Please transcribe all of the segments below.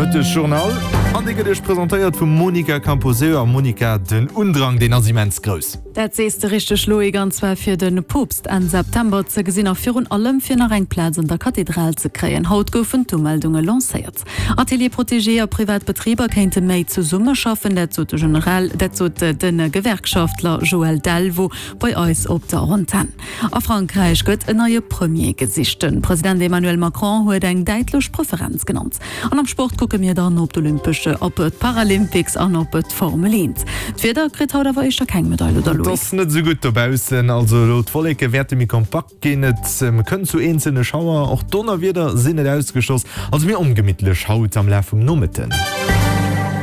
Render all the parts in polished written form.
Nomëttegjournal an dee gëtt Iech presentéiert vum Monica Camposeo. A Monica, den Undrang, deen ass immens grouss. Dat sees de richteg Loïc, an zwar fir de Poopst Enn September ze gesinn a virun allem fir nach eng Plaz an der Kathedral ze kréien. Haut goufen d'Umeldunge lancéiert. Ateliers protégés a privat Betriber kéinte méi zesummeschaffen, dat sot de General, dat sot de Gewerkschaftler Joël Delvaux bei eis op der Antenn. A Frankräich gëtt en neie Premier gesicht. De President Emmanuel Macron huet eng däitlech Preferenz genannt. An am Sport kucke mir dann op d'Olympesch, op d'Paralympics an op d'Formel 1. D'Wieder kritt haut awer éischter keng Medail, oder Et Loïc? ass net esou gutt dobaussen, also elo d'Wolleke wäerte méi kompakt ginn, et kënnt zu eenzelne Schauer, och Donnerwieder sinn net ausgeschloss. Also méi ongemittlech haut am Laf vum Nomëtten.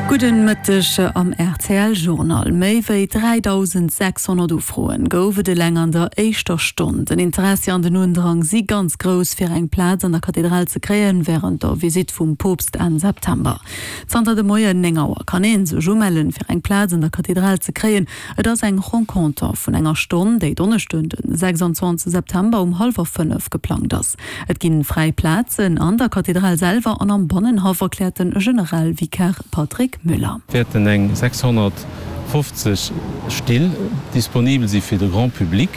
Gudden Mëtteg am rtl Journal. Méi wéi 3.600 Ufroen gouf et eleng an der éischter Stonn. Den Interessi an den Undrang si ganz grouss fir eng Plaz an der Kathedral ze kréien wärend der Visitt vum Poopst Enn September. Zanter de Moien 9 Auer kann ee sech umellen fir eng Plaz an der Kathedral ze kréien. Et ass eng Renconter vun enger Stonn, déi Donneschden den 26 September um hallwer 5 geplangt ass. Et ginn fräi Plazen an der Kathedral selwer an am Bannenhaff, erkläert den Generalvikar Patrick Müller. Wäerten eng 650 Still disponibel si fir de Grand public,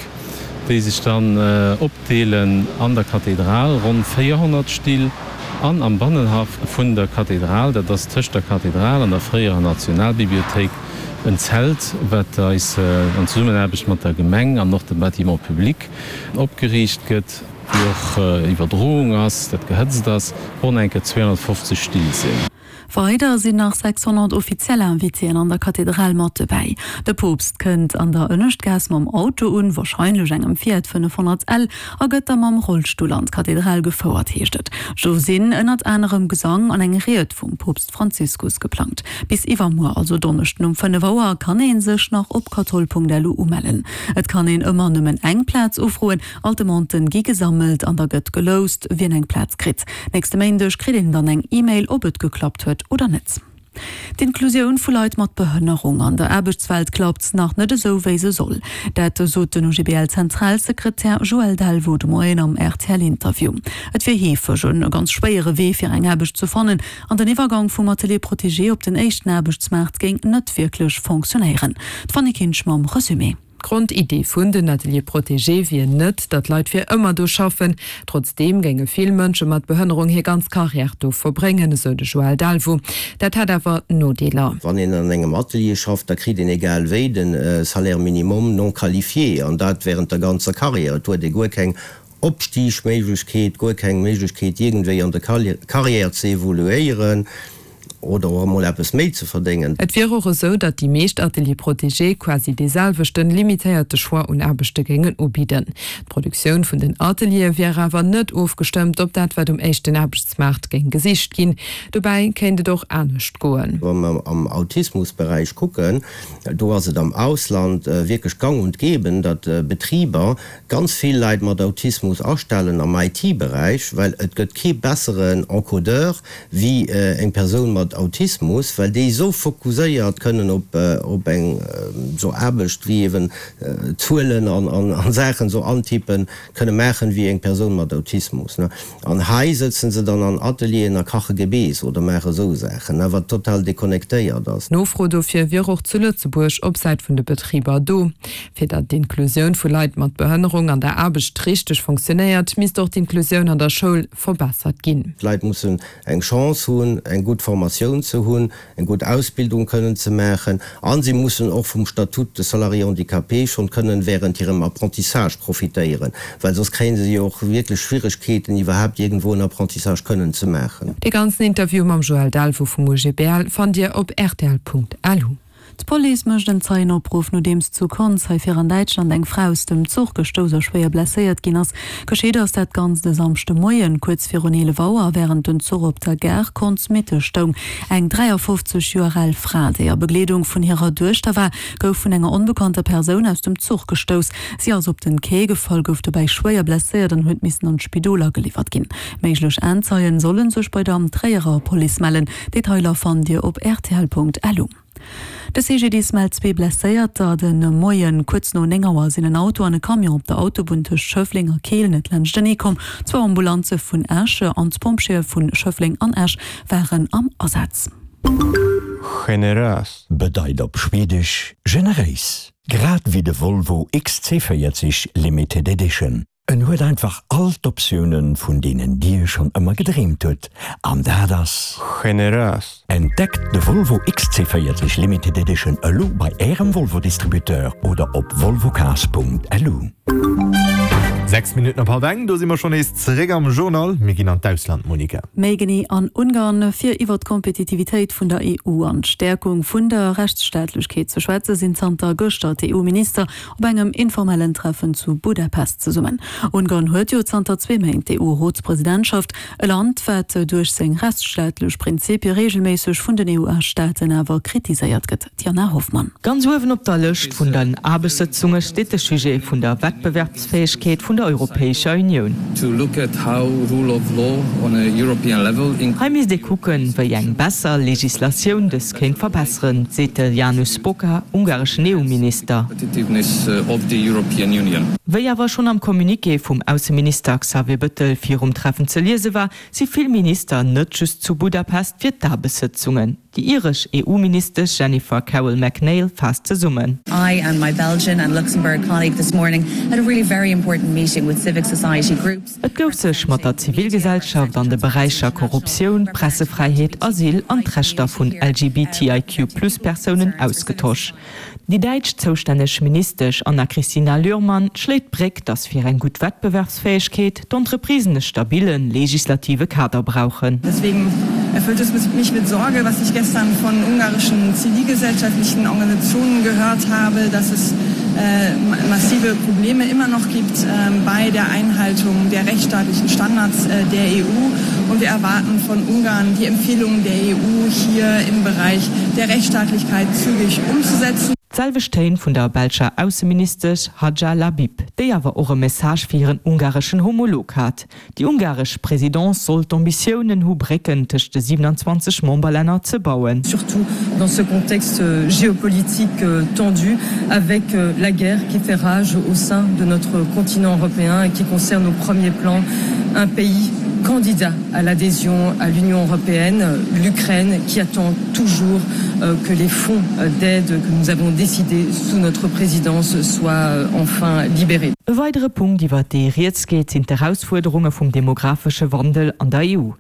déi sech dann opdeelen an der Kathedral, ronn 400 Still, an am Bannenhaff vun der Kathedral, dat ass tëscht der Kathedral an der fréierer Nationalbibliothéik, en Zelt, wat eis an Zesummenaarbecht mat der Gemeng an och dem Bâtiment public opgeriicht gëtt. Wéi och Iwwerdroung ass, dat gehëtzt ass, ronn enke 250 Still sinn. Weider sinn nach 600 offiziell Invitéen an der Kathedral mat dobäi. De Poopst kënnt an der Ënneschtgaass mam Auto un, warscheinlech engem Fiat 500 L, a gëtt da mam Rollstull an d'Kathedral gefouert, heescht et. Do sinn ënnert anerem Gesang an eng Ried vum Poopst Franziskus geplangt. Bis iwwermuer, also Donneschden um 5 Auer, kann ee sech nach op kathol.lu umellen. Et kann een ëmmer nëmmen eng Plaz ufroen. All d'Demanden gi gesammelt an da gëtt geloust, wien eng Plaz kritt. Nächste Méindeg kritt een dann eng E-Mail, ob et geklappt huet oder net. D'Inklusioun vu Leit mat Behënnerung an der Aarbechtswelt klappt nach net esou, wéi se soll. Dat sot den OGBL-Zentralsekretär Joël Delvaux de Moien am RTL-Interview. Et wier heefeg e ganz schwéiere Wee, fir eng Aarbecht ze fannen an den Iwwergang vum Atelier protégé op den éischten Aarbechtsmaart géing net wierklech fonctionnéieren. D'Fanny Kinsch mam Resumé. D'Grondiddi vun den Ateliers protégés wier net, datt Leit fir ëmmer do schaffen. Trotzdeem géinge vill Mënsche mat Behënnerung hir ganz Karriär do verbréngen, esou de Joël Delvaux. Dat hätt awer Nodeeler. Wann een an engem Atelier schafft, da kritt een egal wéi de Salaire minimum non qualifié, an dat während der ganzer Karriär. Et huet ee guer keng Opstigméiglechkeet, guer keng Méiglechkeet iergendwéi an der Karriär ze evoluéieren oder och emol eppes méi ze verdéngen. Et wier och esou, datt déi meescht Ateliers protégés quasi dee selwechten, limitéierte Choix un Aarbechte géingen ubidden. D'Produktioun vun den Ateliere wier awer net ofgestëmmt op dat, wat um éischten Aarbechtsmaart géing gesicht ginn. Dobäi kéint et och anescht goen. Wa mer am Autismusberäich kucken, do ass et am Ausland wierklech gang und gäbe, datt Betriber ganz vill Leit mat Autismus astellen am IT-Beräich, well et gëtt kee besseren Encodeur wéi eng Persoun mat Autismus, well déi esou fokuséiert kënnen op op eng esou Aarbecht wéi eben Zuelen an an Saachen esou antippen kënne maachen wéi eng Persoun mat Autismus. An hei sëtzen se dann an Atelieren a kache Gebeess oder maache esou Saachen, wat total deconnectéiert ass. D'Nofro dofir wier och zu Lëtzebuerg op Säit vun de Betriber do. Fir datt d'Inklusioun vu Leit mat Behënnerung an der Aarbecht richteg fonctionnéiert, misst och d'Inklusioun an der Schoul verbessert ginn. D'Leit mussen eng Chance hunn, eng gutt Formatioun ze hunn, eng gutt Ausbildung kënnen ze maachen a si mussen och vum Statut de salarié handicapé schonn kënnen während hirem Apprentissage profitéieren, well soss kréie se jo och wierklech Schwieregkeeten, iwwerhaapt iergendwou en Apprentissage kënnen ze maachen. Dee ganzen Interview mam Joël Delvaux vum OGBL fannt Dir op rtl.lu. D'Police mécht en Zeienopruff, nodeems zu Konz hei vir an Däitschland eng Fra aus dem Zuch gestouss a schwéier blesséiert ginn ass. Geschitt ass dat Ganzt e Samschdemoien kuerz virun 11 Auer, wärend den Zuch op der Gare Konz-Mitte stoung. Eng 53 Joer al Fra, déi a Begleedung vun hirer Duechter war, gouf vun enger onbekannter Persoun aus dem Zuch gestouss. Si ass op den Quai gefall, gouf dobäi schwéier blesséiert an huet missen an d'Spidol ageliwwert ginn. Méiglech Aenzeien solle sech bei der Tréierer Police mellen. Detailer fannt Dir op rtl.lu. De CGDIS mellt zwee Blesséierter. De Moien kuerz no 9 Auer sinn en Auto an e Camion op der Autobunn tëscht Schëffleng a Keel net laanschtenee komm. Zwou Ambulanze vun Esch an d'Pompjeeë vu Schëffleng an Esch waren am Asaz. Generös. Bedeit op Schwedesch generéis, grad wéi de Volvo XC40 Limited Edition. En huet einfach all d'Optiounen, vun deenen Dir schonn ëmmer gedreemt hutt, an dat ass. Generös. Entdeckt de Volvo XC40 Limited Edition elo bei Ärem Volvo-Distributeur oder op volvocars.lu. 6 Minutten op halb eng, do si mer schonn nees zeréck am Journal. Mir ginn an d'Ausland, Monica. Méi genee an Ungarn. Fir iwwer d'Kompetitivitéit vun der EU an d'Stäerkung vun der Rechtsstaatlechkeet ze schwätze sinn zanter gëschter d'EU-Minister op engem informellen Treffen zu Budapest zesummen. Ungarn huet jo zanter zwee Méint d'EU-Rotspresidentschaft, e Land, wat duerch seng rechtsstaatlech Prinzipie reegelméisseg vun den EU-Staaten awer kritiséiert gëtt. D'Jana Hoffmann. Ganz uewen op der Lëscht vun den Aarbechtssëtzunge steet de Sujet vun der Wettbewerbsfäegkeet vun der Europäescher Unioun. Hei misst ee kucken, wéi eng besser Legislatioun dës kéint verbesseren, seet de Janusz Boka, ungareschen EU-Minister. Wéi awer schonn am Communiqué vum Ausseminister Xavier Bëttel virum Treffen ze liese war, si vill Minister net just zu Budapest fir d'Aarbechtssëtzungen. Déi iresch EU-Ministesch Jennifer Carroll MacNeill faasst zesummen. I and my Belgian and Luxembourg colleague this morning had a really very important meeting with civic society groups. Et gouf sech mat der Zivilgesellschaft an de Beräicher Korruptioun, Pressefräiheet, Asyl an d'Rechter vun LGBTIQ-Plus-Persounen ausgetosch. Déi däitsch zoustänneg Ministesch Anna-Christina Lührmann schléit d'Bréck, datt fir eng gutt Wettbewerbsfäegkeet d'Entreprisen e stabille legislative Kader brauchen. Deswegen erfüllt es mich mit Sorge, was ich gestern von ungarischen zivilgesellschaftlichen Organisationen gehört habe, dass es massive Probleme immer noch gibt bei der Einhaltung der rechtsstaatlichen Standards der EU. Und wir erwarten von Ungarn, die Empfehlungen der EU hier im Bereich der Rechtsstaatlichkeit zügig umzusetzen. D'selwecht Téin vun der belscher Ausseministesch Hadja Lahbib, déi awer och e Message fir hiren ungareschen Homolog hat. Déi ungaresch Presidence soll d'Ambitiounen hu Brécken tëscht de 27 Memberlänner ze bauen. Surtout dans ce contexte géopolitique tendu avec la guerre qui fait rage au sein de notre continent européen et qui concerne au premier plan un pays candidat à l'adhésion à l'Union européenne, l'Ukraine qui attend toujours que les fonds d'aide que nous avons décidé sous notre présidence soient enfin libérés. E weidere Punkt, iwwer dee rieds geet, sinn d'Erausfuerderunge vum demographesche Wandel an der EU.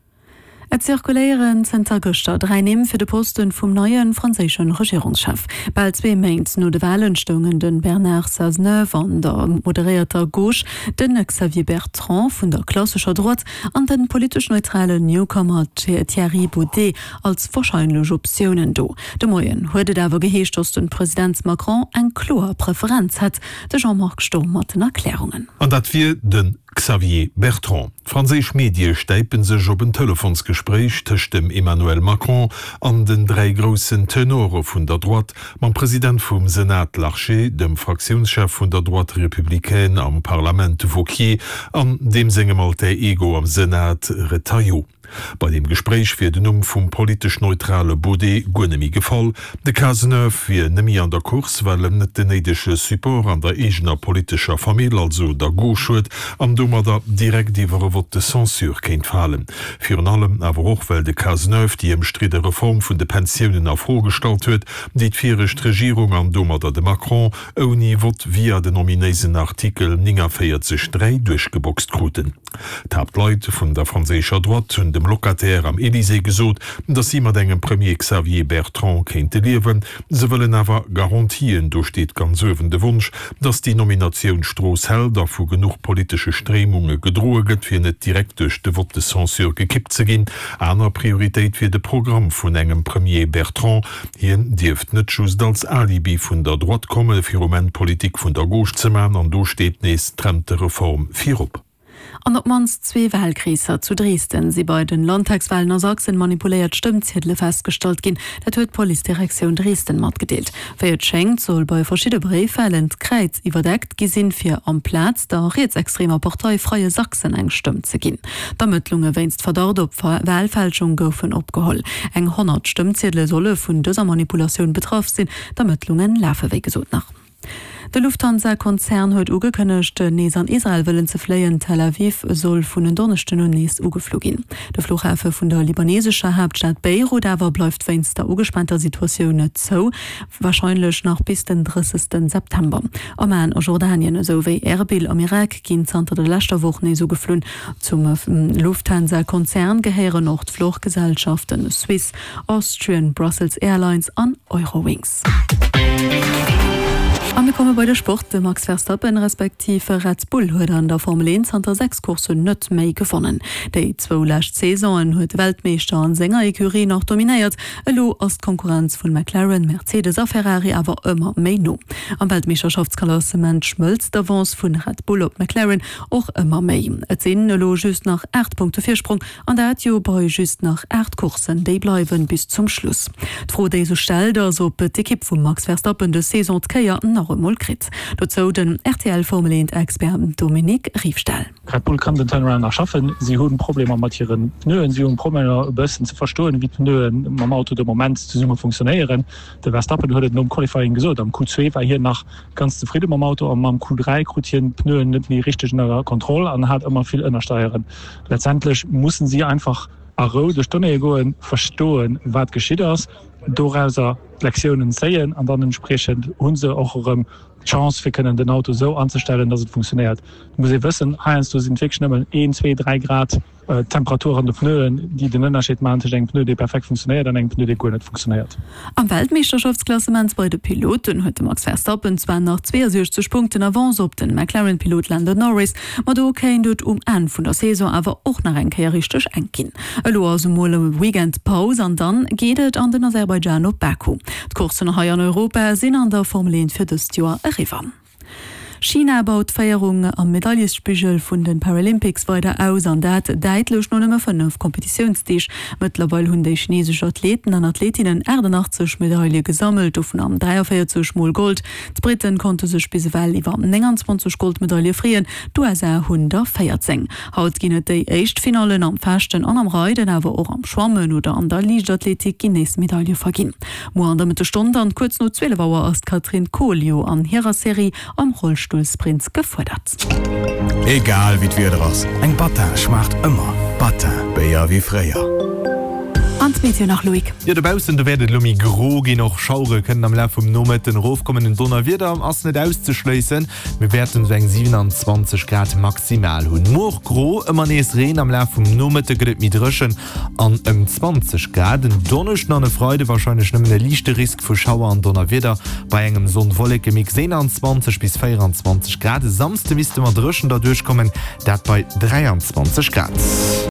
Et zirkuléieren zënter gëschter 3 Nimm fir de Posten vum neie franséische Regierungschef. Bal zwee Méint no de Walen stoungen de Bernard Cazeneuve an der moderéierter Gauche, de Xavier Bertrand vun der klassescher Droite an de politesch neutralen Newcomer Thierry Baudet als warscheinlech Optiounen do. De Moien huet et awer geheescht, datt de President Macron eng kloer Preferenz hätt. De Jean-Marc Sturm mat den Erklärungen. An dat wier de Xavier Bertrand. Franséisch Medie stäipe sech op en Telefonsgespréich tëscht dem Emmanuel Macron an den 3 groussen Tenore vun der Droite, mam President vum Senat Larcher, dem Fraktiounschef vun der Droite républicaine am Parlament Wauquiez an deem sengem Alter Ego am Senat Retailleau. Bei deem Gespréich wier den Numm vum politesch neutrale Baudet guer nemme gefall. De Cazeneuve wier nemme an der Course, well en net den néidege Support an der eegener politescher Famill, also der Gauche huet an domadder direkt iwwer e Vote de censure kéint falen. Virun allem awer och, well de Cazeneuve déi ëmstridde Reform vun de Pensiounen a Fro gestallt huet, déi d'viregt Regierung an domadder de Macron ouni Vott via den ominéisen Artikel 49, 3 duerchgeboxt kruten. D'Haaptleit vun der franséischer Droite hunn dem Locataire am Elysée gesot, datt si mat engem Premier Xavier Bertrand kéinte liewen. Se wëllen awer Garantien. Do steet ganz uewen de Wonsch, datt déi Nominatioun d'Strooss hält a vu genuch politesche Stréimunge gedroe gëtt, fir net direkt duerch de Vote de censure gekippt ze ginn. Aner Prioritéit wier de Programm vun engem Premier Bertrand. Hien dierft net just als Alibi vun der Droite komme fir um Enn Politik vun der Gauche ze man, an do steet nees d'Rentereform virop. An op d'mannst zwee Walkreesser zu Dresden si bei den Landtagswalen a Sachsen manipuléiert Stëmmziedele festgestallt ginn. Dat huet d'Policedirektioun Dresden matgedeelt. Wéi et schéngt, soll bei verschidde Bréifwalen d'Kräiz iwwerdeckt gi sinn, fir amplaz der rietsextremer Partei Freie Sachsen eng Stëmm ze ginn. D'Ermëttlunge wéinst Verdacht op Walfälschung goufen opgeholl. Eng 100 Stëmmziedele solle vun dëser Manipulatioun betraff sinn. D'Ermëttlunge lafe wéi gesot nach. De Lufthansa-Konzern huet ugekënnegt, nees an Israel wëllen ze fléien. Tel Aviv soll vun en Donneschden un nees ugeflu ginn. De Fluchhafe vun der libanesescher Haaptstad Beirut awer bleift wéinst der ugespaanter Situatioun zou, warscheinlech nach bis den 30 September. Amman a Jordanien esou wéi Erbil am Irak ginn zanter der leschter Woch nees ugeflunn. Zum Lufthansa-Konzern gehéieren och d'Fluchgesellschaften Swiss, Austrian, Brussels Airlines an Eurowings. A mir komme bei de Sport. De Max Verstappen respektiv Red Bull huet an der Formel 1 zanter 6 Courssen net méi gewonnen. Déi zwou lescht Saisonen huet de Weltmeeschter an senger Ecurie nach dominéiert. Elo ass d'Konkurrenz vun McLaren, Mercedes a Ferrari awer ëmmer méi no. Am Weltmeeschterschaftsklassement schmëlzt d'Avance vun Red Bull op McLaren och ëmmer méi. Et sinn elo just nach 8 Punkte Virsprong An dat jo bei just nach 8 Courssen, déi bleiwen bis zum Schluss. D'Fro déi sech stellt ass, ob d'Ekipp vum Max Verstappen dës Saison d'Kéier nach emol kritt. Dozou den rtl Formel 1 Expert Dominique Riefstahl. Red Bull kann den Turnaround nach schaffen. Si hu Problemer mat hire Pneuen, si hu Problemer e bëssen ze verstoen, wéi d'Pneue mam Auto de Moment zesumme funktionéieren. De Verstappen huet et nom Qualifying gesot, am Q2 war hien nach ganz zefridde mam Auto an mam Q3 krut hien d'Pneuen net méi richteg ënner Kontroll an hat ëmmer vill Ënnersteieren. Letztendlech mussen si einfach a Rou duerch d'Donnéeë goen, verstoen, wat geschitt ass, dorauser d'Lektiounen zéien an dann entspriechend hu se och erëm d'Chance, fir kënnen den Auto esou anzestellen, dass et funktionéiert. Et muss ee wëssen, heiansdo sinn et wierklech nëmmen een, zwee, dräi Grad Temperatur an de Pneuen, déi den Ënnerscheed maachen tëscht engem Pneu, dee perfekt funktionéiert, an engem Pneu, dee guer net funktionéiert. Am Weltmeeschterschaftsklassement bei de Piloten huet de Max Verstappen zwar nach 62 Punkten Avance op den McLaren-Pilot Lando Norris, Ma do kéint et um Enn vun der Saison awer och nach eng Kéier richteg enk ginn. Elo ass emol e Weekend Paus an dann geet et an den Aserbaidschan op Baku. D'Courssen hei an Europa sinn an der Formel 1 fir dëst Joer eriwwer. China baut d'Féierung am Medailespigel vun de Paralympics weider aus an dat däitlech no nëmme 5 Kompetitiounsdeeg. Mëttlerweil hunn déi chinesesch Athleten an Athletinnen 88 Medaile gesammelt, dovun 43 mol Gold. D'Britten konnte sech bis ewell iwwer 29 Goldmedaile freeën, d'USA hunn der 14. Haut ginn et déi éischt Finallen am Fechten an am Reiden, awer och am Schwammen oder an der Liichtathletik ginn nees Medaile verginn. Muer an der Mëttesstonn dann kuerz no 12 Auer ass d'Katrin Kohl jo an hirer Serie am Rollstullsprint gefuerdert. Egal wéi d'Wieder ass, eng Battin schmaacht ëmmer. Battin, Béier wéi fréier. An d'Meteo nach, Loïc. Jo, dobaussen, do wäert et elo méi gro ginn, och Schauere kënnen am Laf vum Nomëtten erofkommen. En Donnerwieder ass net auszeschléissen, mir wäerten esou eng 27 Grad maximal hunn. Muer gro, ëmmer nees Reen, am Laf vum Nomëtte gëtt et méi dréchen an ëm 20 Grad. En Donneschden an e Freide warscheinlech nëmmen e liichte Risk vu Schauer an Donnerwieder bei engem Sonn-Wolleke-Mix, 21 bis 24 Grad. E Samsde misste mer dréchen derduerchkommen, dat bei 23 Grad.